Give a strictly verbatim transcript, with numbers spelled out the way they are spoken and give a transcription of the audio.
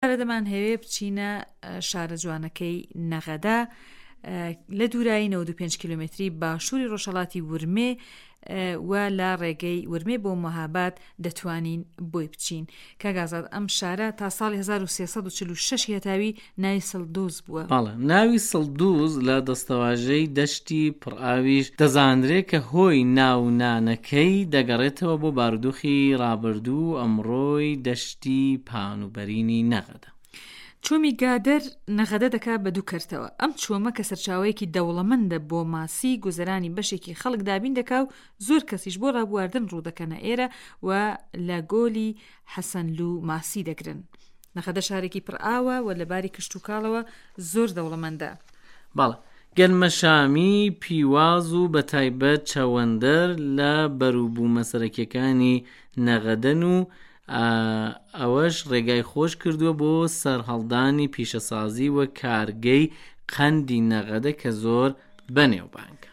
دەمانهەوێ بچینە شارە جوانەکەی نەغەدە لە دوورایی نەوەد و پێنج کیلۆمەتری باشووری ڕۆژهەڵاتی ورمێ و لە ڕێگەی ورمێ بۆ مەهاباد دەتوانین بۆی بچین. کاک ئازاد ئەم شارە تا ساڵی هەزار و سێ سەد و چل و شەش هەتاوی ناوی سڵدوز بووە. بەڵێ، ناوی سڵدوز لە دەستەواژەی دەشتی پڕئاویش دەزانرێ کە هۆی ناونانەکەی دەگەڕێتەوە بۆ بارودۆخی ڕابردوو و ئەمڕۆی دەشتی پان و بەرینی نەغەدە. چۆمی گادەر نەغەدە دەکا بە دوو کەرتەوە. ئەم چۆمە کە سەرچاوەیەکی دەوڵەمەندە بۆ ماسی، گوزەرانی بەشێکی خەڵک دابین دەکا و زۆر کەسیش بۆ ڕابواردن ڕوو دەکەنە ئێرە و لە گۆلی حەسەنلوو ماسی دەگرن. نەغەدە شارێکی پڕئاوە و لە باری کشتوکاڵەوە زۆر دەوڵەمەندە. بەڵێ، گەنمەشامی، پیواز و بەتایبەت چەوەندەر لە بەروبوومە سەرەکییەکانی نەغەدەن و ئەوەش ڕێگای خۆش کردووە بۆ سەرهەڵدانی پیشەسازی و کارگەی قەندی نەغەدە کە زۆر بەنێوبانگە.